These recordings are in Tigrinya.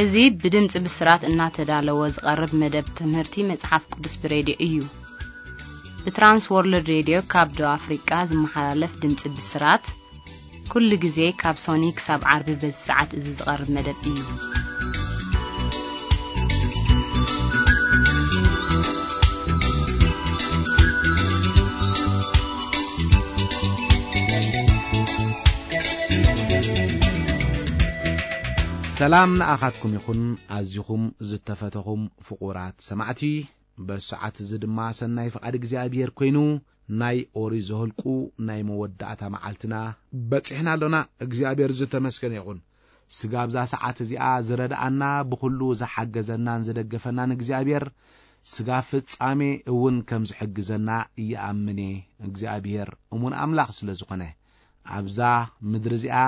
እዚ ብድምጺ ብስራት እናተዳለወ ዝቐርብ መደብ ትምህርቲ መጽሓፍ ቅዱስ ብሬድዮ እዩ። ብትራንስ ወርልድ ሬድዮ ካብ ደቡብ ኣፍሪቃ ዝመሓላለፍ ድምጺ ብስራት፣ ኩሉ ግዜ ካብ ሶኒ ክሳብ ዓርቢ በዚ ሰዓት እዚ ዝቐርብ መደብ እዩ። ሰላም ንኣኻትኩም ይኹን፣ ኣዚኹም ዝተፈተኹም ፍቑራት ሰማዕቲ። በዚ ሰዓት እዚ ድማ ሰናይ ፍቓድ እግዚኣብሔር ኮይኑ፣ ናይ ኦሪት ዘኍልቁ ናይ መወዳእታ መዓልትና በጺሕና ኣሎና። እግዚኣብሔር ዝተመስገነ ይኹን። ስጋ ኣብዛ ሰዓት እዚኣ ዝረድኣና፣ ብኹሉ ዝሓገዘናን ዝደገፈናን እግዚኣብሔር፣ ስጋ ፍጻሜ እውን ከም ዝሕግዘና ይኣምን እየ። እግዚኣብሔር እሙን ኣምላኽ ስለ ዝኾነ፣ ኣብዛ ምድሪ እዚኣ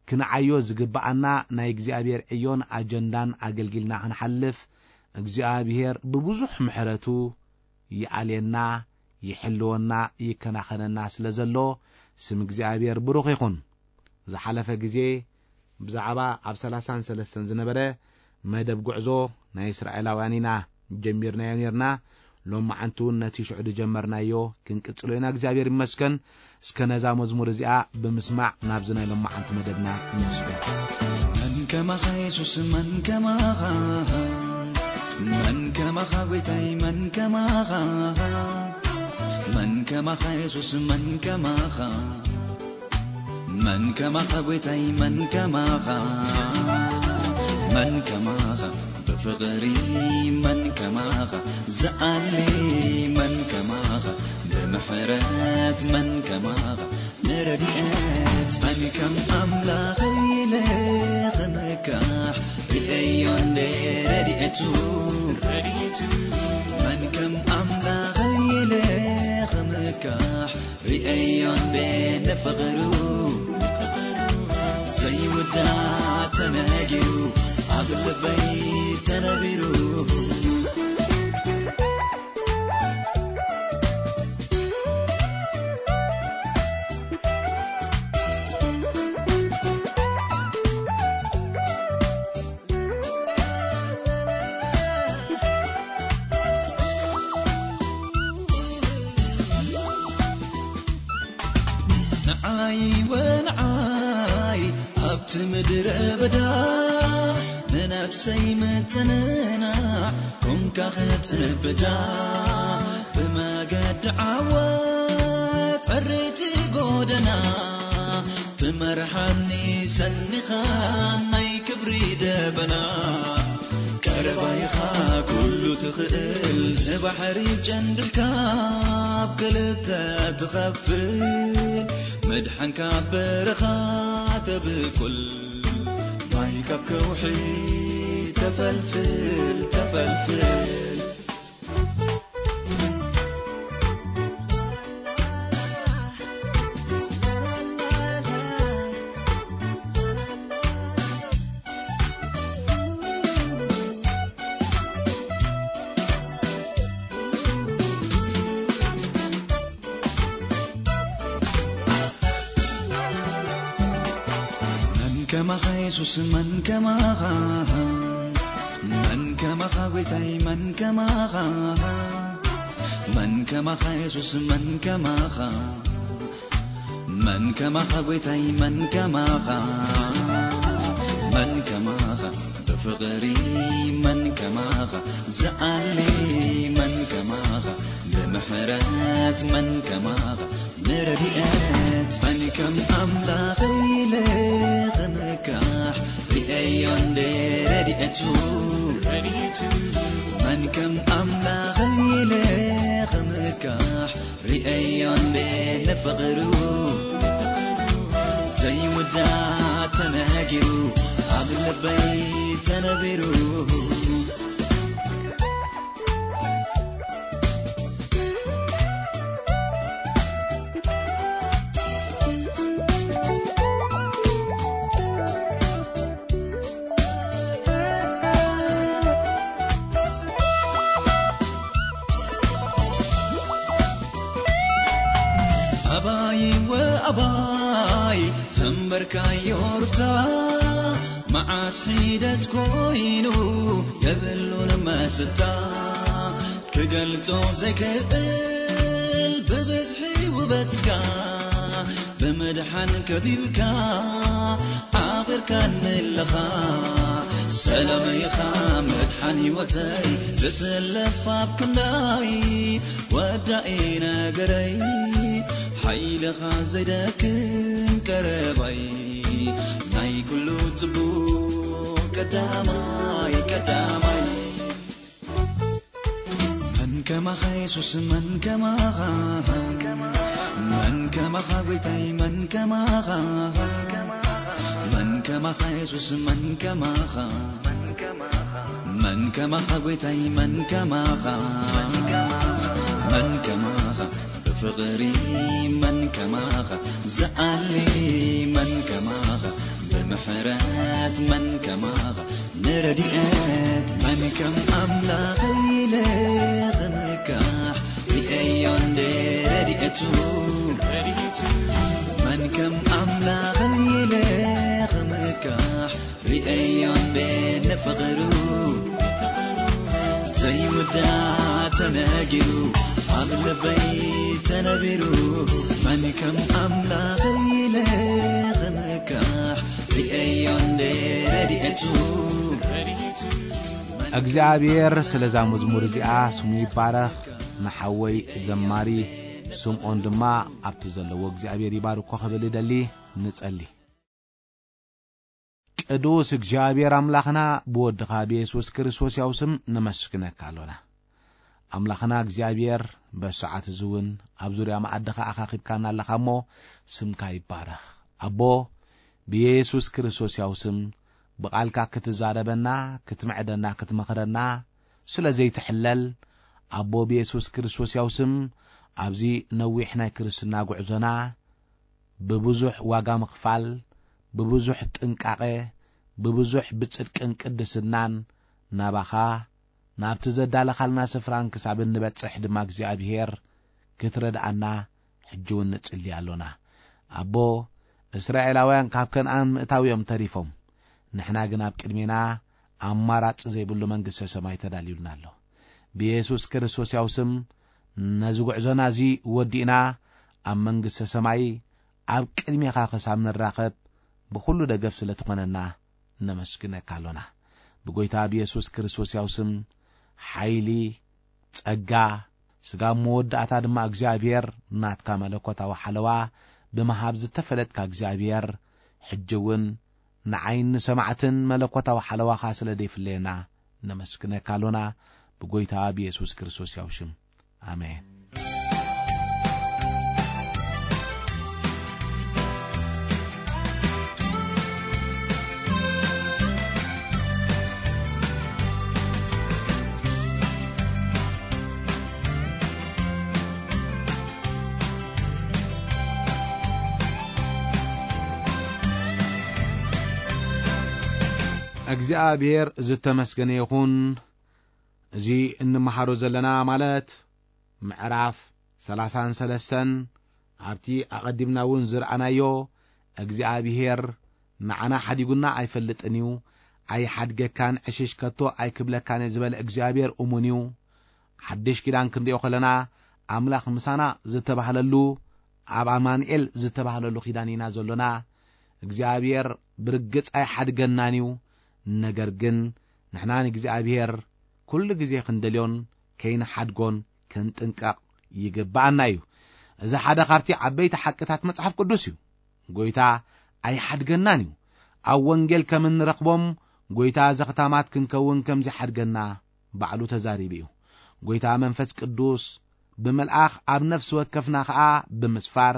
ክንዓዮ ዝግብኣና ናይ እግዚኣብሔር ዕዮን ኣጀንዳን ኣገልጊልና ክንሓልፍ፣ እግዚኣብሔር ብብዙሕ ምሕረቱ ይኣልየና፣ ይሕልወና፣ ይከናኸነና ስለ ዘሎ፣ ስም እግዚኣብሔር ብሩኽ ይኹን። ዝሓለፈ ግዜ ብዛዕባ ኣብ ሰላሳን ሰለስተን ዝነበረ መደብ ጉዕዞ ናይ እስራኤላውያን ኢና ጀሚርናዮ ኔርና። ሎማዓንቲ እውን ነቲ ሽዑ ዝጀመርናዮ ክንቅጽሎ ኢና። እግዚኣብሔር ይመስገን። እስከ ነዛ መዝሙር እዚኣ ብምስማዕ ናብዚ ናይ ሎማዓንቲ መደብና ንስገር። መን ከማኻ የሱስ፣ መን ከማኻ፣ መን ከማኻ ጎይታይ፣ መን ከማኻ፣ መን ከማኻ የሱስ፣ መን ከማኻ፣ መን ከማኻ ጎይታይ፣ መን ከማኻ፣ መን ከማኻ ብፍቕሪ፣ መን ከማኻ ዝኣሊ፣ መን ከማኻ ብምሕረት፣ መን ከማኻ ንረድኤት፣ መን ከም ኣምላኽ ኢለ ክምካሕ፣ ርእዮ እንደ ረድኤቱ፣ ረድኤቱ፣ መን ከም ኣምላኽ ኢለ ክምካሕ፣ ርእዮ እንደ ንፍቕሩ፣ ዘይውዳእ ተነጊሩ፣ ኣብ ልበይ ተነቢሩ። ንዓይ ወንዓይ ኣብቲ ምድረ በዳ፣ ንነብሰይ ምትንናዕ ኮንካ ክትብዳ፣ ብመገዲ ዓወት ዕርይቲ ጎደና፣ ትመርሓኒ ሰኒኻ ናይ ክብሪ ደበና። ቀረባ ኢኻ ኩሉ ትኽእል፣ ንባሕሪ ጨንድልካ ኣብ ክልተ ትኸፍል፣ መድሓንካ ኣብ በረኻ ተብቁል፣ ማይ ካብ ከውሒ ተፈልፍል፣ ተፈልፍል። መን ከማኻ የሱስ፣ መን ከማኻ፣ መን ከማኻ ጎይታይ፣ መን ከማኻ፣ መን ከማኻ የሱስ፣ መን ከማኻ፣ መን ከማኻ ጎይታይ፣ መን ከማኻ፣ መን ከማኻ ብፍቕሪ፣ መን ከማኻ ዝኣሊ፣ መን ከማኻ ብምሕረት፣ መን ከማኻ ንረድኤት፣ መን ከም ኣምላኽ ኢለ ክምካሕ፣ ርእዮ እንደ ረድኤቱ፣ ረድኤቱ፣ መን ከም ኣምላኽ ኢለ ክምካሕ፣ ርእዮ እንደ ንፍቕሩ፣ ዘይውዳእ ተነጊሩ፣ ኣብ ልበይ ተነቢሩ። ኣባይ ወ ኣባይ ዘንበርካዮ ሩታ፣ መዓስ ሒደት ኮይኑ የብሉን መስታ፣ ክገልጾ ዘይክእል ብብዝሒ ውበትካ፣ ብምድሓን ከቢብካ ዓቂርካኒ ኣለኻ። ሰላም ኢኻ መድሓን ህይወተይ፣ ተሰለፍ ኣብ ክንዳይ፣ ወዳኢ ነገረይ፣ ሓይልኻ ዘይደክም ቀረባይ፣ ናይ ኩሉ ጽቡቕ ቀዳማይ፣ ቀዳማይ። መን ከማኻ የሱስ፣ መን ከማኻ፣ መን ከማኻ ጎይታይ፣ መን ከማኻ፣ መን ከማኻ የሱስ፣ መን ከማኻ፣ መን ከማኻ ጎይታይ፣ መን ከማኻ፣ መን ከማኻ ብፍቕሪ፣ መን ከማኻ ዝኣሊ፣ መን ከማኻ ብምሕረት፣ መን ከማኻ ንረድኤት፣ መን ከም ኣምላኽ ኢለ ክምካሕ ርእዮ እንደ ረድኤቱ፣ መን ከም ኣምላኽ ኢለ ክምካሕ ርእዮ እንደ ንፍቕሩ፣ ዘይውዳእ ተነጊሩ ኣብ ልበይ ተነቢሩ፣ መን ከም ኣምላኽ ኢለ ክምካሕ ርእዮ እንደ ረድኤቱ። እግዚኣብሔር ስለዛ መዝሙር እዚኣ ስሙ ይባረኽ። ንሓወይ ዘማሪ ስምዖን ድማ ኣብቲ ዘለዎ እግዚኣብሔር ይባርኮ ክብል ይደሊ። ንጸሊ። ቅዱስ እግዚኣብሔር ኣምላኽና ብወድኻ ብየሱስ ክርስቶስ ያው ስም ነመስግነካ ኣሎና። ኣምላኽና እግዚኣብሔር በሰዓት እዚ እውን ኣብ ዙርያ መኣድኻ ኣኻኺብካና ኣለኻ እሞ ስምካ ይባረኽ። ኣቦ ብየሱስ ክርስቶስ ያው ስም ብቓልካ ክትዛረበና፣ ክትምዕደና፣ ክትመኽረና ስለ ዘይትሕለል ኣቦ ብየሱስ ክርስቶስ ያው ስም ኣብዚ ነዊሕ ናይ ክርስትና ጉዕዞና ብብዙሕ ዋጋ ምኽፋል፣ ብብዙሕ ጥንቃቐ፣ ብብዙሕ ብጽድቅን ቅድስናን ናባኻ ናብቲ ዘዳለኻልና ስፍራን ክሳብ እንበጽሕ ድማ እግዚኣብሔር ክትረድኣና ሕጂ እውን ንጽሊ ኣሎና። ኣቦ እስራኤላውያን ካብ ከነኣን ምእታው እዮም ተሪፎም። ንሕና ግን ኣብ ቅድሜና ኣማራጺ ዘይብሉ መንግስተ ሰማይ ተዳልዩልና ኣሎ። ብየሱስ ክርስቶስ ያው ስም ነዚ ጉዕዞና እዚ ወዲእና ኣብ መንግስተ ሰማይ ኣብ ቅድሜኻ ክሳብ ንራኸብ ብኹሉ ደገፍ ስለ ትኾነና ነመስግነካ ኣሎና። ብጎይታ ብየሱስ ክርስቶስ ያው ስም ሓይሊ፣ ጸጋ፣ ስጋብ መወዳእታ ድማ እግዚኣብሔር ናትካ መለኮታዊ ሓለዋ ብምሃብ ዝተፈለጥካ እግዚኣብሔር ሕጂ እውን ንዓይን ንሰማዕትን መለኮታዊ ሓለዋኻ ስለ ደይፍለየና ነመስግነካ ኣሎና። ብጎይታ ብየሱስ ክርስቶስ ያው ሽም ኣሜን። እግዚኣብሔር ዝተመስገነ ይኹን። እዚ እንመሃሮ ዘለና ማለት ምዕራፍ ሰላሳን ሰለስተን ኣብቲ ኣቐዲምና እውን ዝረኣናዮ እግዚኣብሔር ንዓና ሓዲጉና ኣይፈልጥን እዩ፣ ኣይሓድገካን፣ ዕሽሽ ከቶ ኣይክብለካን እየ ዝበለ እግዚኣብሔር እሙን እዩ። ሓድሽ ኪዳን ክንሪኦ ከለና ኣምላኽ ምሳና ዝተባህለሉ ኣብ ኣማኑኤል ዝተባህለሉ ኪዳን ኢና ዘሎና። እግዚኣብሔር ብርግጽ ኣይሓድገናን እዩ። ነገር ግን ንሕና ንእግዚኣብሔር ኩሉ ግዜ ክንደልዮን ከይንሓድጎን ክንጥንቀቕ ይግብኣና እዩ። እዚ ሓደ ካብቲ ዓበይቲ ሓቅታት መጽሓፍ ቅዱስ እዩ። ጎይታ ኣይሓድገናን እዩ። ኣብ ወንጌል ከም እንረኽቦም ጎይታ ዘኽታማት ክንከውን ከም ዘይሓድገና ባዕሉ ተዛሪቡ እዩ። ጎይታ መንፈስ ቅዱስ ብምልኣኽ ኣብ ነፍሲ ወከፍና ኸኣ ብምስፋር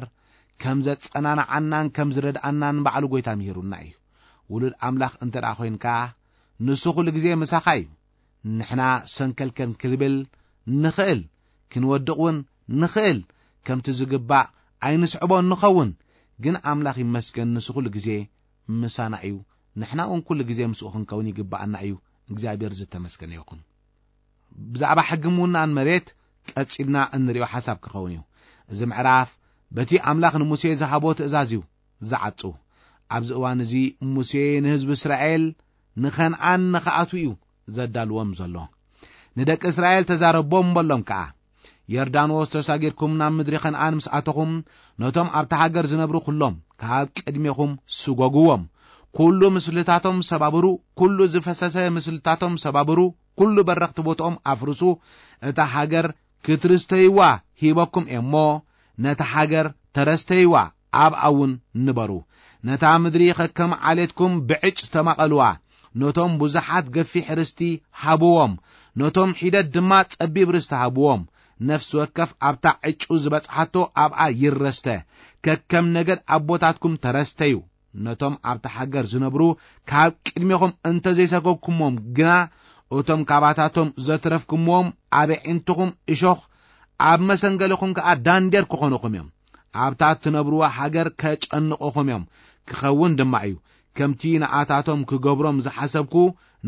ከም ዘጸናንዓናን ከም ዝረድኣናን ባዕሉ ጎይታ ምሂሩና እዩ። ውሉድ ኣምላኽ እንተ ደኣ ኾይንካ ንሱ ኩሉ ግዜ ምሳኻ እዩ። ንሕና ሰንከልከል ክንብል ንኽእል፣ ክንወድቕ እውን ንኽእል፣ ከምቲ ዝግባእ ኣይንስዕቦን ንኸውን። ግን ኣምላኽ ይመስገን ንሱ ኩሉ ግዜ ምሳና እዩ። ንሕና እውን ኩሉ ግዜ ምስኡ ክንከውን ይግብኣና እዩ። እግዚኣብሔር ዝተመስገነ ይኹን። ብዛዕባ ሕጊ ምውናን መሬት ቀጺልና እንሪኦ ሓሳብ ክኸውን እዩ። እዚ ምዕራፍ በቲ ኣምላኽ ንሙሴ ዝሃቦ ትእዛዝ እዩ ዝዓጹ። ኣብዚ እዋን እዚ ሙሴ ንህዝቢ እስራኤል ንኸንዓን ንኽኣትዉ እዩ ዘዳልዎም ዘሎ። ንደቂ እስራኤል ተዛረቦም በሎም ከኣ፣ "ዮርዳኖስ ተሳጊርኩም ናብ ምድሪ ከንዓን ምስ ኣተኹም፣ ነቶም ኣብታ ሃገር ዝነብሩ ኩሎም ካብ ቅድሜኹም ስጎግዎም። ኩሉ ምስልታቶም ሰባብሩ፣ ኩሉ ዝፈሰሰ ምስልታቶም ሰባብሩ፣ ኩሉ በረኽቲ ቦትኦም ኣፍርሱ። እታ ሃገር ክትርስተይዋ ሂበኩም እየ እሞ፣ ነታ ሃገር ተረስተይዋ፣ ኣብኣ እውን ንበሩ። ነታ ምድሪ ከከም ዓሌትኩም ብዕጭ ተማቐልዋ። ነቶም ብዙሓት ገፊሕ ርስቲ ሃብዎም፣ ነቶም ሒደት ድማ ጸቢብ ርስቲ ሃብዎም። ነፍሲ ወከፍ ኣብታ ዕጩ ዝበጽሓቶ ኣብኣ ይረስተ። ከከም ነገድ ኣቦታትኩም ተረስተዩ። ነቶም ኣብታ ሃገር ዝነብሩ ካብ ቅድሜኹም እንተ ዘይሰጎግኩምዎም ግና፣ እቶም ካባታቶም ዘትረፍኩምዎም ኣብ ኣዒንትኹም እሾኽ፣ ኣብ መሰንገሊኹም ከኣ ዳንዴር ክኾኑኹም እዮም። ኣብታ እትነብርዋ ሃገር ከጨንቑኹም እዮም፣ ክኸውን ድማ እዩ። ከምቲ ንኣታቶም ክገብሮም ዝሓሰብኩ፣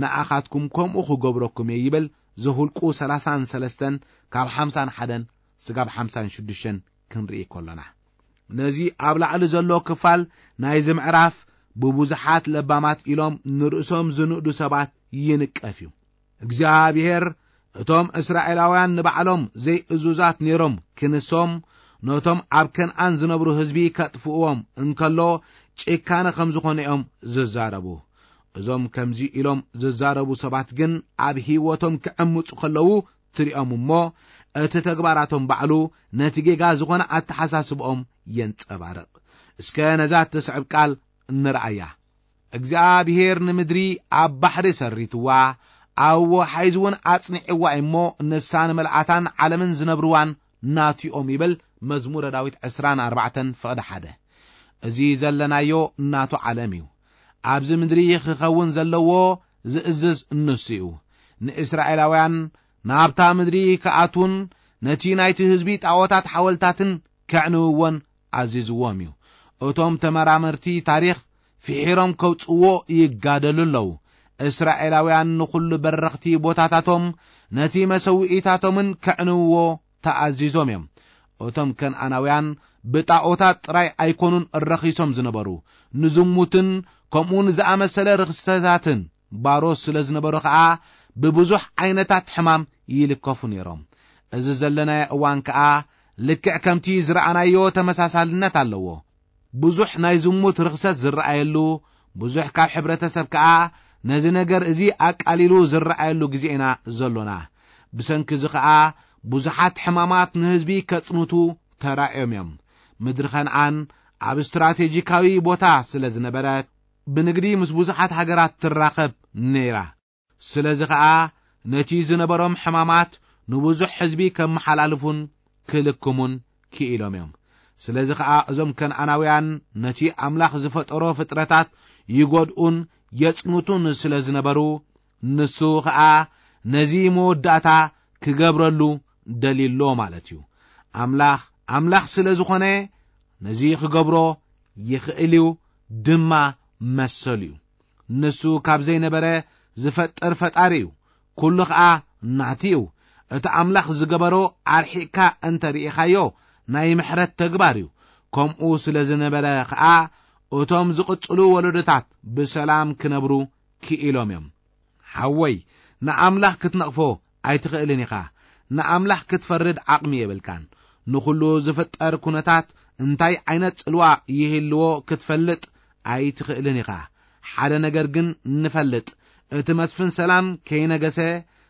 ንኣኻትኩም ከምኡ ክገብረኩም እየ" ይብል ዘኍልቁ ሰላሳን ሰለስተን ካብ ሓምሳን ሓደን ስጋብ ሓምሳን ሽዱሽተን ክንርኢ ከሎና። ነዚ ኣብ ላዕሊ ዘሎ ክፋል ናይዚ ምዕራፍ ብብዙሓት ለባማት ኢሎም ንርእሶም ዝንእዱ ሰባት ይንቀፍ እዩ። እግዚኣብሔር እቶም እስራኤላውያን ንባዕሎም ዘይእዙዛት ነይሮም ክንሶም፣ ነቶም ኣብ ከነኣን ዝነብሩ ህዝቢ ከጥፍእዎም እንከሎ ጭካነ ከም ዝኾነ እዮም ዝዛረቡ። እዞም ከምዚ ኢሎም ዝዛረቡ ሰባት ግን ኣብ ህይወቶም ክዕምጹ ከለዉ ትሪኦም እሞ፣ እቲ ተግባራቶም ባዕሉ ነቲ ጌጋ ዝኾነ ኣተሓሳስብኦም የንጸባርቕ። እስከ ነዛ እትስዕብ ቃል እንርኣያ። "እግዚኣብሔር ንምድሪ ኣብ ባሕሪ ሰሪትዋ፣ ኣብ ወሓይዝ እውን ኣጽኒዕዋ እሞ፣ ንሳ ንመልኣታን ዓለምን ዝነብርዋን ናቲኦም" ይብል መዝሙረ ዳዊት ዕስራን ኣርባዕተን ፍቕዲ ሓደ። እዚ ዘለናዮ ናቱ ዓለም እዩ። ኣብዚ ምድሪ ክኸውን ዘለዎ ዝእዝዝ ንሱ እዩ። ንእስራኤላውያን ናብታ ምድሪ ክኣትዉን ነቲ ናይቲ ህዝቢ ጣዖታት ሓወልታትን ከዕንውዎን ኣዚዝዎም እዩ። እቶም ተመራመርቲ ታሪኽ ፍሒሮም ከውጽእዎ ይጋደሉ ኣለዉ። እስራኤላውያን ንኹሉ በረኽቲ ቦታታቶም ነቲ መሰውኢታቶምን ከዕንውዎ ተኣዚዞም እዮም። እቶም ከነኣናውያን ብጣዖታት ጥራይ ኣይኮኑን ረኺሶም ዝነበሩ፣ ንዝሙትን ከምኡ ንዝኣመሰለ ርኽሰታትን ባሮት ስለ ዝነበሩ ኸኣ ብብዙሕ ዓይነታት ሕማም ይልከፉ ነይሮም። እዚ ዘለናዮ እዋን ከኣ ልክዕ ከምቲ ዝረኣናዮ ተመሳሳልነት ኣለዎ። ብዙሕ ናይ ዝሙት ርኽሰት ዝረኣየሉ፣ ብዙሕ ካብ ሕብረተሰብ ከኣ ነዚ ነገር እዚ ኣቃሊሉ ዝረኣየሉ ግዜ ኢና ዘሎና። ብሰንኪ እዚ ኸኣ ብዙሓት ሕማማት ንህዝቢ ከጽንቱ ተራእዮም እዮም። ምድሪ ከነኣን ኣብ ስትራቴጂካዊ ቦታ ስለ ዝነበረት፣ ብንግዲ ምስ ብዙሓት ሃገራት ትራኸብ ነይራ። ስለዚ ኸኣ ነቲ ዝነበሮም ሕማማት ንብዙሕ ህዝቢ ከመሓላልፉን ክልክሙን ክኢሎም እዮም። ስለዚ ኸኣ እዞም ከነኣናውያን ነቲ ኣምላኽ ዝፈጠሮ ፍጥረታት ይጎድኡን የጽንቱን ስለ ዝነበሩ፣ ንሱ ኸኣ ነዚ መወዳእታ ክገብረሉ ደልዩሎ ማለት እዩ። ኣምላኽ፣ ኣምላኽ ስለ ዝኾነ ነዚ ክገብሮ ይኽእል እዩ፣ ድማ መሰሉ እዩ። ንሱ ካብ ዘይነበረ ዝፈጥር ፈጣሪ እዩ። ኩሉ ኸኣ ናቲ እዩ። እቲ ኣምላኽ ዝገበሮ ኣርሒቕካ እንተ ርኢኻዮ፣ ናይ ምሕረት ተግባር እዩ። ከምኡ ስለ ዝነበረ ኸኣ፣ እቶም ዝቕጽሉ ወለዶታት ብሰላም ክነብሩ ክኢሎም እዮም። ሓወይ፣ ንኣምላኽ ክትነቕፎ ኣይትኽእልን ኢኻ። ንኣምላኽ ክትፈርድ ዓቕሚ የብልካን። ንኹሉ ዝፍጠር ኩነታት እንታይ ዓይነት ጽልዋ ይህልዎ ክትፈልጥ ኣይትኽእልን ኢኻ። ሓደ ነገር ግን ንፈልጥ፣ እቲ መስፍን ሰላም ከይነገሰ፣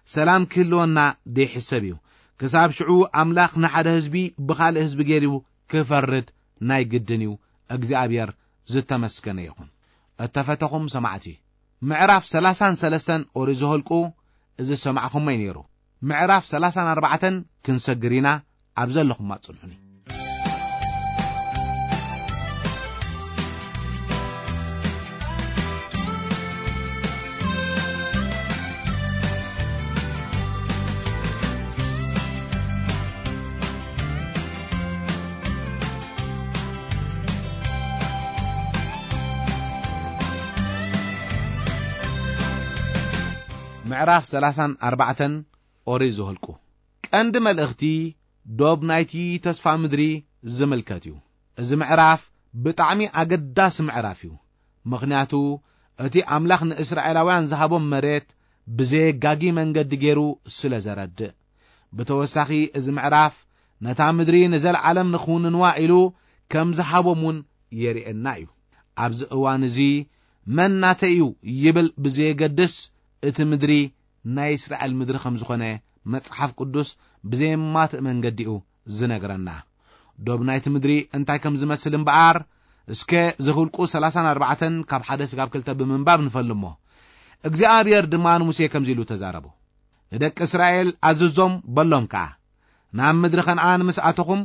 ሰላም ክህልወና ዘይሕሰብ እዩ። ክሳብ ሽዑ ኣምላኽ ንሓደ ህዝቢ ብኻልእ ህዝቢ ገይሩ ክፈርድ ናይ ግድን እዩ። እግዚኣብሔር ዝተመስገነ ይኹን። እተፈተኹም ሰማዕቲ፣ ምዕራፍ ሰላሳን ሰለስተን ኦሪት ዘኍልቁ እዚ ዝሰማዕኹሞ እዩ ነይሩ። ምዕራፍ ሰላሳን ኣርባዕተን ክንሰግር ኢና። ኣብ ዘለኹም ኣጽንሑኒ። ምዕራፍ ሰላሳን ኣርባዕተን ኦሪት ዘኍልቁ። ቀንዲ መልእኽቲ፣ ዶብ ናይቲ ተስፋ ምድሪ ዝምልከት እዩ። እዚ ምዕራፍ ብጣዕሚ ኣገዳሲ ምዕራፍ እዩ። ምኽንያቱ እቲ ኣምላኽ ንእስራኤላውያን ዝሃቦም መሬት ብዘየጋጊ መንገዲ ገይሩ ስለ ዘረድእ። ብተወሳኺ እዚ ምዕራፍ ነታ ምድሪ ንዘለዓለም ንኽውንንዋ ኢሉ ከም ዝሃቦም እውን የርእየና እዩ። ኣብዚ እዋን እዚ መን ናተይ እዩ ይብል ብዘየገድስ እቲ ምድሪ ናይ እስራኤል ምድሪ ከም ዝኾነ መጽሓፍ ቅዱስ ብዘየማትእ መንገዲኡ ዝነግረና። ዶብ ናይቲ ምድሪ እንታይ ከም ዝመስል እምበኣር እስከ ዘኍልቁ ሰላሳን ኣርባዕተን ካብ ሓደ ስጋብ ክልተ ብምንባብ ንፈልሞ። እግዚኣብሔር ድማ ንሙሴ ከምዚ ኢሉ ተዛረቦ። ንደቂ እስራኤል ኣዝዞም በሎም ከኣ፣ ናብ ምድሪ ከነኣን ምስ ኣተኹም፣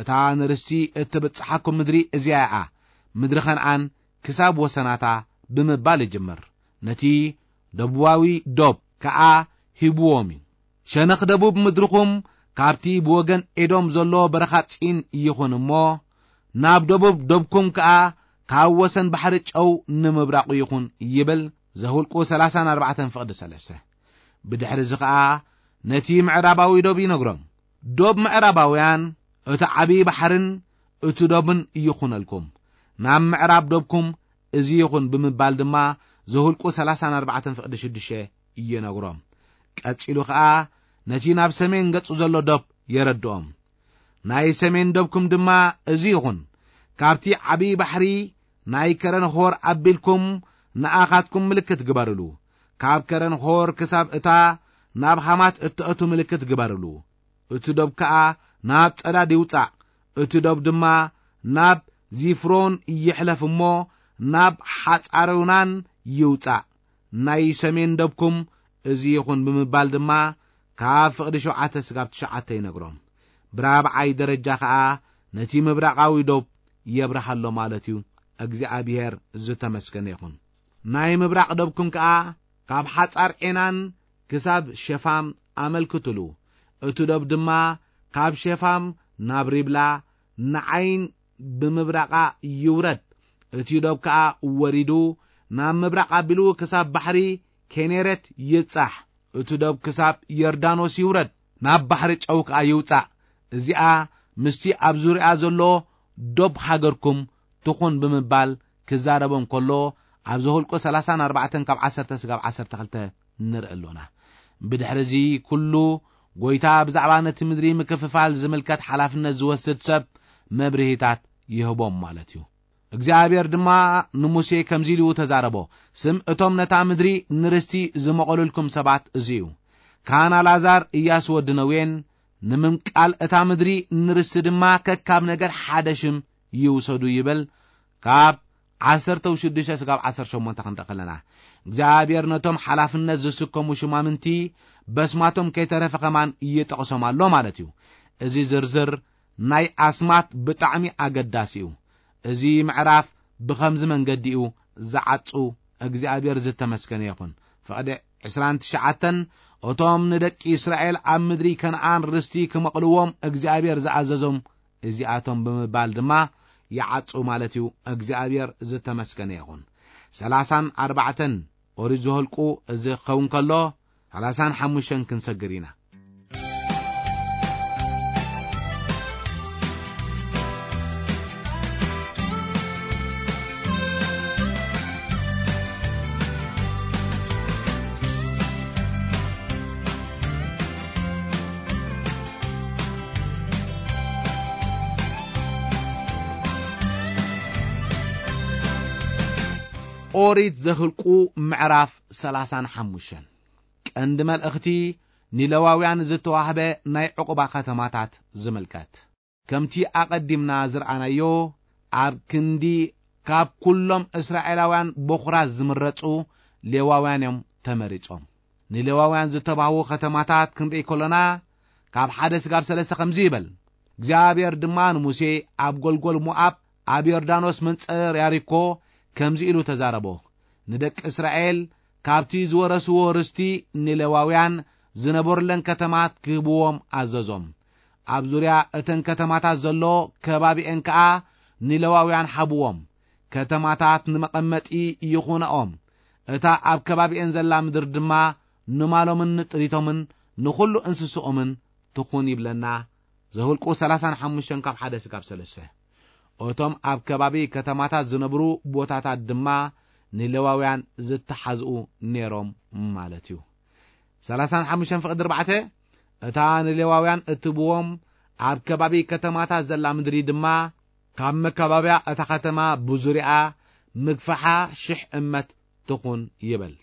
እታ ንርስቲ እትብጽሓኩም ምድሪ እዚኣ እያ፣ ምድሪ ከነኣን ክሳብ ወሰናታ ብምባል ይጅምር። ነቲ ደቡባዊ ዶብ ከኣ ሂብዎም እዩ። ሸነኽ ደቡብ ምድርኹም ካብቲ ብወገን ኤዶም ዘሎ በረኻ ጺን ይኹን እሞ፣ ናብ ደቡብ ዶብኩም ከኣ ካብ ወሰን ባሕሪ ጨው ንምብራቑ ይኹን ይብል። ዘኍልቁ ሰላሳን ኣርባዕተን ፍቕዲ ሰለስተ። ብድሕሪ እዚ ኸኣ ነቲ ምዕራባዊ ዶብ ይነግሮም። ዶብ ምዕራባውያን እቲ ዓብዪ ባሕርን እቲ ዶብን ይኹነልኩም፣ ናብ ምዕራብ ዶብኩም እዚ ይኹን ብምባል ድማ ዘኍልቁ ሰላሳን ኣርባዕተን ፍቕዲ ሽዱሽተ ይነግሮም። ቀጺሉ ኸኣ ነቲ ናብ ሰሜን ገጹ ዘሎ ዶብ የረድኦም። ናይ ሰሜን ዶብኩም ድማ እዚ ይኹን፣ ካብቲ ዓብዪ ባሕሪ ናይ ከረን ሆር ኣቢልኩም ንኣኻትኩም ምልክት ግበርሉ። ካብ ከረን ሆር ክሳብ እታ ናብ ሃማት እትእቱ ምልክት ግበርሉ። እቲ ዶብ ከኣ ናብ ጸዳድ ይውጻእ፣ እቲ ዶብ ድማ ናብ ዚፍሮን ይሕለፍ እሞ ናብ ሓጻሮናን ይውጻእ። ናይ ሰሜን ደብኩም እዚ ይኹን ብምባል ድማ ካብ ፍቕዲ ሸውዓተ ስጋብ ትሽዓተ ይነግሮም። ብራብዓይ ደረጃ ኸኣ ነቲ ምብራቓዊ ዶብ የብርሃሎ ማለት እዩ። እግዚኣብሔር ዝተመስገነ ይኹን። ናይ ምብራቕ ደብኩም ከኣ ካብ ሓጻር ዔናን ክሳብ ሸፋም ኣመልክትሉ። እቲ ዶብ ድማ ካብ ሸፋም ናብ ሪብላ ንዓይን ብምብራቓ ይውረድ። እቲ ዶብ ከኣ ወሪዱ ናብ ምብራቕ ኣቢሉ ክሳብ ባሕሪ ኬኔሬት ይብጻሕ። እቲ ዶብ ክሳብ ዮርዳኖስ ይውረድ፣ ናብ ባሕሪ ጨው ከኣ ይውጻእ። እዚኣ ምስቲ ኣብ ዙርያ ዘሎ ዶብ ሃገርኩም ትኹን ብምባል ክዛረቦም ከሎ፣ ኣብ ዘኍልቁ ሰላሳን ኣርባዕተን ካብ ዓሰርተ ስጋብ ዓሰርተ ክልተ ንርኢ ኣሎና። ብድሕሪ እዚ ኩሉ፣ ጐይታ ብዛዕባ ነቲ ምድሪ ምክፍፋል ዝምልከት ሓላፍነት ዝወስድ ሰብ መብርሂታት ይህቦም ማለት እዩ። እግዚኣብሔር ድማ ንሙሴ ከምዚ ኢሉ ተዛረቦ፣ ስም እቶም ነታ ምድሪ ንርስቲ ዝመቐሉልኩም ሰባት እዚ እዩ። ካህን ኣልኣዛር፣ እያሱ ወዲ ነዌን፣ ንምምቃል እታ ምድሪ ንርስቲ ድማ ከካብ ነገር ሓደ ሽም ይውሰዱ ይብል። ካብ ዓሰርተ ሽዱሽተ ስጋብ ዓሰርተ ሸሞንተ ክንርኢ ከለና፣ እግዚኣብሔር ነቶም ሓላፍነት ዝስከሙ ሽማምንቲ በስማቶም ከይተረፈ ከማን ይጠቕሶም ኣሎ ማለት እዩ። እዚ ዝርዝር ናይ ኣስማት ብጣዕሚ ኣገዳሲ እዩ። እዚ ምዕራፍ ብኸምዚ መንገዲ እዩ ዝዓጹ። እግዚኣብሔር ዝተመስገነ ይኹን። ፍቕዲ ዕስራን ትሽዓተን፣ እቶም ንደቂ እስራኤል ኣብ ምድሪ ከነኣን ርስቲ ክመቕልዎም እግዚኣብሔር ዝኣዘዞም እዚኣቶም ብምባል ድማ ይዓጹ ማለት እዩ። እግዚኣብሔር ዝተመስገነ ይኹን። ሰላሳን ኣርባዕተን ኦሪት ዘኍልቁ እዚ ክኸውን ከሎ፣ ሰላሳን ሓሙሽተን ክንሰግር ኢና። ኦሪት ዘኍልቁ ምዕራፍ ሰላሳን ሓሙሽተን። ቀንዲ መልእኽቲ ንሌዋውያን ዝተዋህበ ናይ ዕቑባ ከተማታት ዝምልከት። ከምቲ ኣቐዲምና ዝረኣናዮ፣ ኣብ ክንዲ ካብ ኩሎም እስራኤላውያን በኹራት ዝምረጹ ሌዋውያን እዮም ተመሪጾም። ንሌዋውያን ዝተባህዉ ከተማታት ክንርኢ ከሎና፣ ካብ ሓደ ስጋብ ሰለስተ ከምዚ ይበል። እግዚኣብሔር ድማ ንሙሴ ኣብ ጐልጐል ሞኣብ ኣብ ዮርዳኖስ መንጸር ያሪኮ ከምዚ ኢሉ ተዛረቦ። ንደቂ እስራኤል ካብቲ ዝወረስዎ ርስቲ ንሌዋውያን ዝነበሩለን ከተማት ክህብዎም ኣዘዞም። ኣብ ዙርያ እተን ከተማታት ዘሎ ከባቢኤን ከኣ ንሌዋውያን ሃብዎም። ከተማታት ንመቐመጢ ይኹንኦም። እታ ኣብ ከባቢኤን ዘላ ምድሪ ድማ ንማሎምን ንጥሪቶምን ንኹሉ እንስስኦምን ትኹን ይብለና ዘኍልቁ ሠላሳን ሓሙሽተን ካብ ሓደ ስጋብ ሰለስተ። እቶም ኣብ ከባቢ ከተማታት ዝነብሩ ቦታታት ድማ ንሌዋውያን ዝተሓዝኡ ነይሮም ማለት እዩ። ሠላሳን ሓሙሽተን ፍቕዲ ኣርባዕተ፣ እታ ንሌዋውያን እትብዎም ኣብ ከባቢ ከተማታት ዘላ ምድሪ ድማ ካብ መካባብያ እታ ከተማ ብዙሪኣ ምግፋሓ ሽሕ እመት ትኹን ይበል።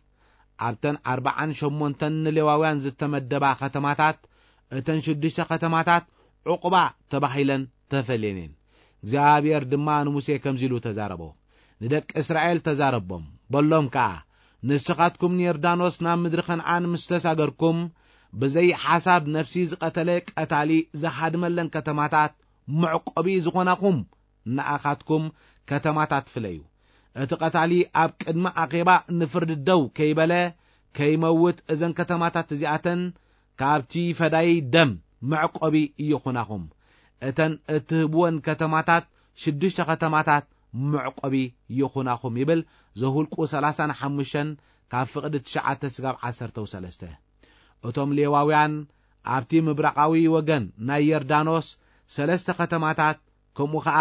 ኣብተን ኣርባዓን ሸሞንተን ንሌዋውያን ዝተመደባ ከተማታት፣ እተን ሽዱሽተ ከተማታት ዑቕባ ተባሂለን ተፈልየን እየን። እግዚኣብሔር ድማ ንሙሴ ከምዚ ኢሉ ተዛረቦ። ንደቂ እስራኤል ተዛረቦም፣ በሎም ከኣ፣ ንስኻትኩም ንዮርዳኖስ ናብ ምድሪ ከነኣን ምስ ተሳገርኩም፣ ብዘይ ሓሳብ ነፍሲ ዝቐተለ ቀታሊ ዝሃድመለን ከተማታት መዕቆቢ ዝኾናኹም ንኣኻትኩም ከተማታት ፍለዩ። እቲ ቀታሊ ኣብ ቅድሚ ኣኼባ ንፍርዲ ደው ከይበለ ከይመውት፣ እዘን ከተማታት እዚኣተን ካብቲ ፈዳይ ደም መዕቆቢ ይኹናኹም። እተን እትህብወን ከተማታት ሽዱሽተ ከተማታት መዕቆቢ ይኹናኹም ይብል ዘኍልቁ ሠላሳን ሓሙሽተን ካብ ፍቕዲ ትሽዓተ ስጋብ ዓሰርተው ሰለስተ። እቶም ሌዋውያን ኣብቲ ምብራቓዊ ወገን ናይ ዮርዳኖስ ሰለስተ ከተማታት፣ ከምኡ ኸኣ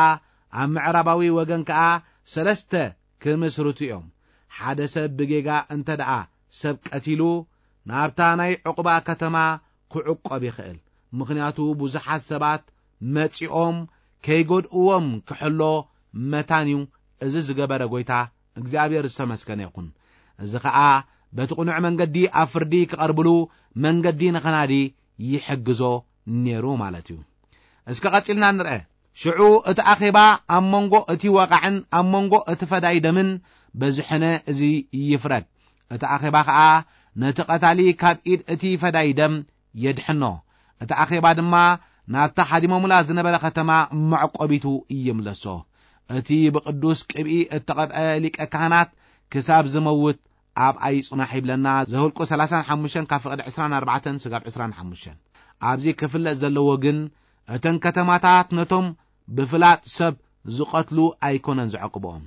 ኣብ ምዕራባዊ ወገን ከኣ ሰለስተ ክምስርቱ እዮም። ሓደ ሰብ ብጌጋ እንተ ደኣ ሰብ ቀቲሉ፣ ናብታ ናይ ዕቑባ ከተማ ክዕቆብ ይኽእል። ምኽንያቱ ብዙሓት ሰባት መጺኦም ከይጎድእዎም ክሕሎ መታን እዩ። እዚ ዝገበረ ጐይታ እግዚኣብሔር ዝተመስገነ ይኹን። እዚ ኸኣ በቲ ቅኑዕ መንገዲ ኣብ ፍርዲ ክቐርብሉ መንገዲ ንኸናዲ ይሕግዞ ነይሩ ማለት እዩ። እስከ ቀጺልና ንርአ። ሽዑ እቲ ኣኼባ ኣብ መንጎ እቲ ወቓዕን ኣብ መንጎ እቲ ፈዳይ ደምን በዝሐነ እዚ ይፍረድ። እቲ ኣኼባ ኸኣ ነቲ ቀታሊ ካብ ኢድ እቲ ፈዳይ ደም የድሕኖ። እቲ ኣኼባ ድማ ናብታ ሓዲሞምላ ዝነበረ ከተማ መዕቆቢቱ ይምለሶ። እቲ ብቅዱስ ቅብኢ እተቐብአ ሊቀ ካህናት ክሳብ ዝመውት ኣብኣ ይጽናሕ ይብለና ዘኍልቁ ሠላሳን ሓሙሽተን ካብ ፍቕዲ ዕስራን ኣርባዕተን ስጋብ ዕስራን ሓሙሽተን። ኣብዚ ክፍለጥ ዘለዎ ግን እተን ከተማታት ነቶም ብፍላጥ ሰብ ዝቐትሉ ኣይኮነን ዘዕቅብኦም።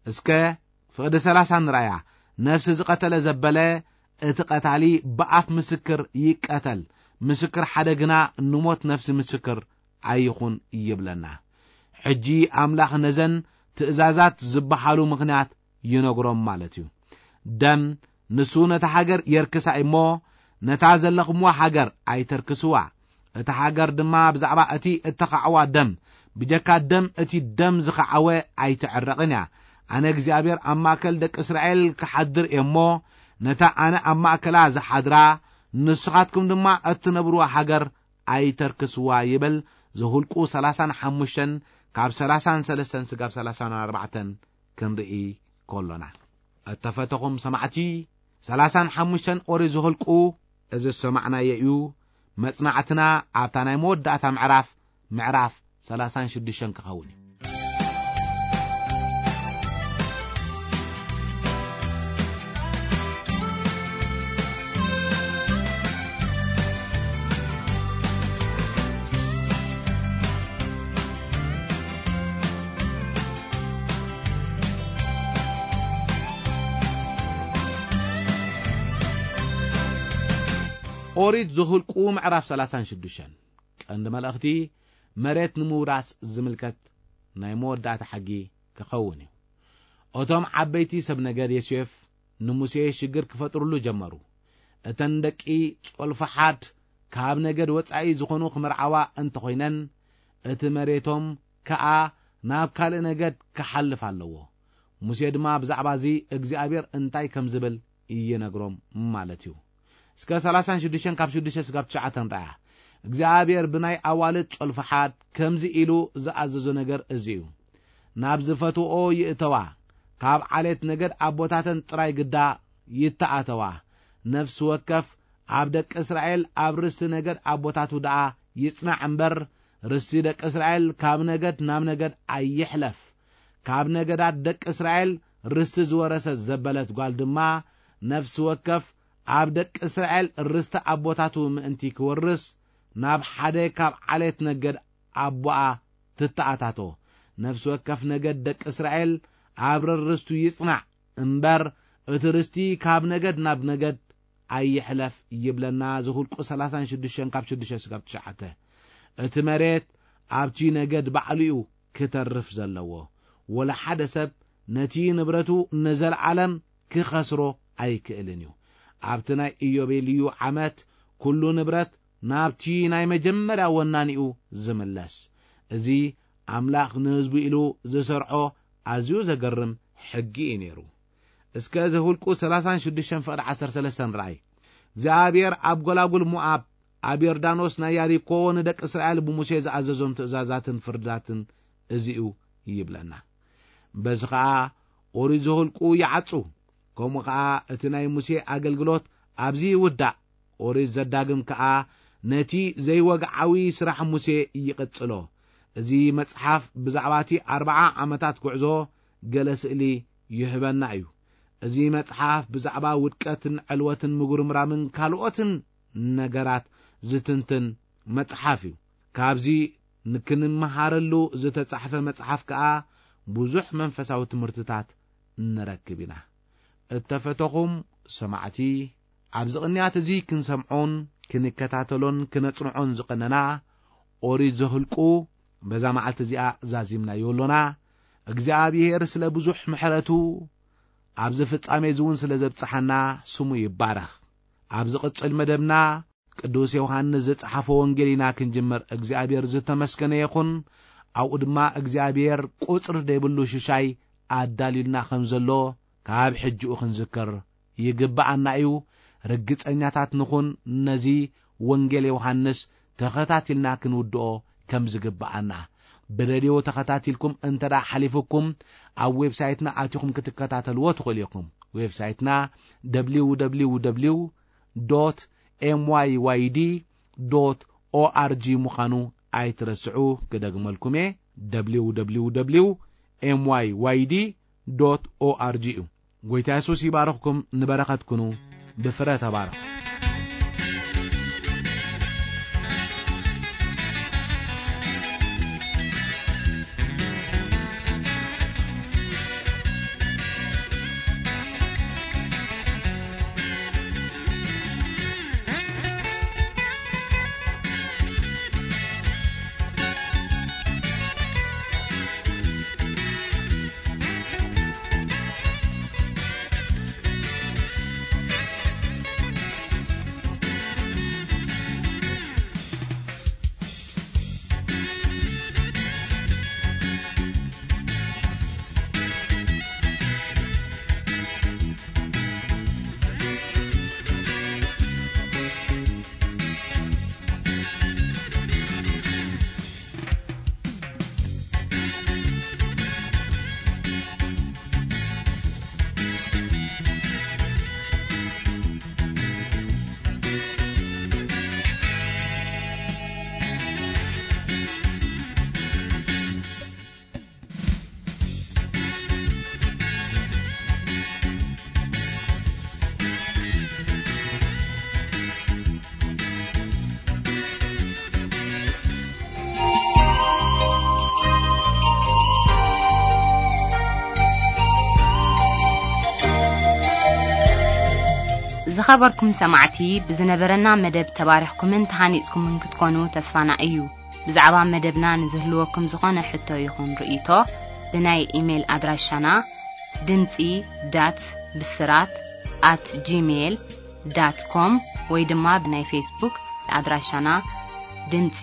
እስከ ፍቕዲ ሠላሳ ንርኣያ። ነፍሲ ዝቐተለ ዘበለ እቲ ቀታሊ ብኣፍ ምስክር ይቀተል፣ ምስክር ሓደ ግና ንሞት ነፍሲ ምስክር ኣይኹን ይብለና። ሕጂ ኣምላኽ ነዘን ትእዛዛት ዝበሃሉ ምኽንያት ይነግሮም ማለት እዩ። ደም ንሱ ነታ ሃገር የርክሳ እሞ፣ ነታ ዘለኹምዋ ሃገር ኣይተርክስዋ። እታ ሃገር ድማ ብዛዕባ እቲ እተኻዕዋ ደም፣ ብጀካ ደም እቲ ደም ዝኸዓወ ኣይትዕረቕን እያ። ኣነ እግዚኣብሔር ኣብ ማእከል ደቂ እስራኤል ክሓድር እየ እሞ፣ ነታ ኣነ ኣብ ማእከላ ዝሓድራ፣ ንስኻትኩም ድማ እትነብርዋ ሃገር ኣይተርክስዋ ይብል። ዘኍልቁ ሠላሳን ሓሙሽተን ካብ ሠላሳን ሰለስተን ስጋብ ሠላሳን ኣርባዕተን ክንርኢ ከሎና። እተፈተኹም ሰማዕቲ፣ ሠላሳን ሓሙሽተን ኦሪት ዘኍልቁ እዚ ዝሰማዕናዮ እዩ። መጽናዕትና ኣብታ ናይ መወዳእታ ምዕራፍ፣ ምዕራፍ ሠላሳን ሽዱሽተን ክኸውን እዩ። ኦሪት ዘኍልቁ ምዕራፍ ሠላሳን ሽዱሽተን። ቀንዲ መልእኽቲ፣ መሬት ንምውራስ ዝምልከት ናይ መወዳእታ ሕጊ ክኸውን እዩ። እቶም ዓበይቲ ሰብ ነገድ ዮሴፍ ንሙሴ ሽግር ክፈጥሩሉ ጀመሩ። እተን ደቂ ጾልፈሓድ ካብ ነገድ ወጻኢ ዝኾኑ ክምርዓዋ እንተኾይነን፣ እቲ መሬቶም ከኣ ናብ ካልእ ነገድ ክሓልፍ ኣለዎ። ሙሴ ድማ ብዛዕባ እዚ እግዚኣብሔር እንታይ ከም ዝብል ይነግሮም ማለት እዩ። እስከ ሠላሳን ሽዱሽተን ካብ ሽዱሽተ ስጋብ ትሽዓተ ንርኣያ። እግዚኣብሔር ብናይ ኣዋልድ ጾልፈሓድ ከምዚ ኢሉ ዝኣዘዞ ነገር እዚ እዩ። ናብ ዝፈትውኦ ይእተዋ፣ ካብ ዓሌት ነገድ ኣቦታተን ጥራይ ግዳ ይተኣተዋ። ነፍሲ ወከፍ ኣብ ደቂ እስራኤል ኣብ ርስቲ ነገድ ኣቦታቱ ደኣ ይጽናዕ እምበር፣ ርስቲ ደቂ እስራኤል ካብ ነገድ ናብ ነገድ ኣይሕለፍ። ካብ ነገዳት ደቂ እስራኤል ርስቲ ዝወረሰት ዘበለት ጓል ድማ፣ ነፍሲ ወከፍ ኣብ ደቂ እስራኤል ርስቲ ኣቦታቱ ምእንቲ ክወርስ፣ ናብ ሓደ ካብ ዓሌት ነገድ ኣቦኣ ትተኣታቶ። ነፍሲ ወከፍ ነገድ ደቂ እስራኤል ኣብ ርርስቱ ይጽናዕ እምበር፣ እቲ ርስቲ ካብ ነገድ ናብ ነገድ ኣይሕለፍ ይብለና። ዘኍልቁ ሠላሳን ሽዱሽተን ካብ ሽዱሽተ ስጋብ ትሽዓተ። እቲ መሬት ኣብቲ ነገድ ባዕሉ እዩ ክተርፍ ዘለዎ። ወላ ሓደ ሰብ ነቲ ንብረቱ ንዘለዓለም ክኸስሮ ኣይክእልን እዩ። ኣብቲ ናይ ኢዮቤልዩ ዓመት ኩሉ ንብረት ናብቲ ናይ መጀመርያ ወናኒኡ ዝምለስ። እዚ ኣምላኽ ንህዝቡ ኢሉ ዝሰርዖ ኣዝዩ ዘገርም ሕጊ እዩ ነይሩ። እስከ ዘኍልቁ ሠላሳን ሽዱሽተን ፍቕዲ ዓሰርተ ሰለስተን ርኣይ። እግዚኣብሔር ኣብ ጐላጉል ሞኣብ፣ ኣብ ዮርዳኖስ ናይ ያሪኮ ንደቂ እስራኤል ብሙሴ ዝኣዘዞም ትእዛዛትን ፍርድታትን እዚኡ ይብለና። በዚ ኸኣ ኦሪት ዘኍልቁ ይዓጹ። ከምኡ ኸኣ እቲ ናይ ሙሴ ኣገልግሎት ኣብዚ ይውዳእ። ኦሪት ዘዳግም ከኣ ነቲ ዘይወግዓዊ ስራሕ ሙሴ ይቕጽሎ። እዚ መጽሓፍ ብዛዕባ እቲ ኣርብዓ ዓመታት ጉዕዞ ገለ ስእሊ ይህበና እዩ። እዚ መጽሓፍ ብዛዕባ ውድቀትን ዕልወትን ምጉርምራምን ካልኦትን ነገራት ዝትንትን መጽሓፍ እዩ። ካብዚ ንክንመሃረሉ ዝተጻሕፈ መጽሓፍ ከኣ ብዙሕ መንፈሳዊ ትምህርትታት ንረክብ ኢና። እተፈተኹም ሰማዕቲ፣ ኣብዚ ቅንያት እዚ ክንሰምዖን ክንከታተሎን ክነጽንዖን ዝቐነና ኦሪት ዘኍልቁ በዛ መዓልቲ እዚኣ ዛዚምናዮ ኣሎና። እግዚኣብሔር ስለ ብዙሕ ምሕረቱ ኣብዚ ፍጻሜ እዚ እውን ስለ ዘብጽሓና ስሙ ይባረኽ። ኣብ ዝቕጽል መደብና ቅዱስ ዮሃንስ ዝጸሓፎ ወንጌል ኢና ክንጅምር። እግዚኣብሔር ዝተመስገነ ይኹን። ኣብኡ ድማ እግዚኣብሔር ቁጽሪ ዘይብሉ ሽሻይ ኣዳልዩልና ከም ዘሎ ካብ ሕጂኡ ክንዝክር ይግብኣና እዩ። ርግጸኛታት ንኹን፣ ነዚ ወንጌል ዮሃንስ ተኸታቲልና ክንውድኦ ከም ዝግብኣና። ብሬድዮ ተኸታቲልኩም እንተ ደኣ ሓሊፉኩም፣ ኣብ ዌብሳይትና ኣቲኹም ክትከታተልዎ ትኽእሉ ኢኹም። ዌብሳይትና ደብሊው ደብሊው ደብሊው ዶት ኤም ዋይ ዋይ ዲ ዶት ኦ ኣር ጂ ምዃኑ ኣይትረስዑ። ክደግመልኩም እየ፣ ደብሊው ደብሊው ደብሊው ኤም ዋይ ዋይ ዲ ዶት ኦ ኣር ጂ እዩ። ጐይታ የሱስ ይባርኽኩም። ንበረኸት ኩኑ፣ ብፍረ ተባረኹ። ዝኸበርኩም ሰማዕቲ፣ ብዝነበረና መደብ ተባሪኽኩምን ተሃኒጽኩምን ክትኮኑ ተስፋና እዩ። ብዛዕባ መደብና ንዝህልወኩም ዝኾነ ሕቶ ይኹን ርእይቶ፣ ብናይ ኢሜይል ኣድራሻና ድምጺ ዳት ብስራት ኣት ጂሜይል ዳት ኮም ወይ ድማ ብናይ ፌስቡክ ኣድራሻና ድምጺ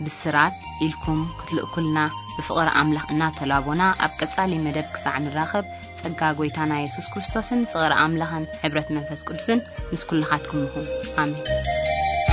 ብስራት ኢልኩም ክትልእኩልና ብፍቕሪ ኣምላኽ እናተላቦና፣ ኣብ ቀጻሊ መደብ ክሳዕ ንራኸብ፣ ጸጋ ጐይታና የሱስ ክርስቶስን ፍቕሪ ኣምላኽን ሕብረት መንፈስ ቅዱስን ምስ ኩልኻትኩም ይኹን። ኣሜን።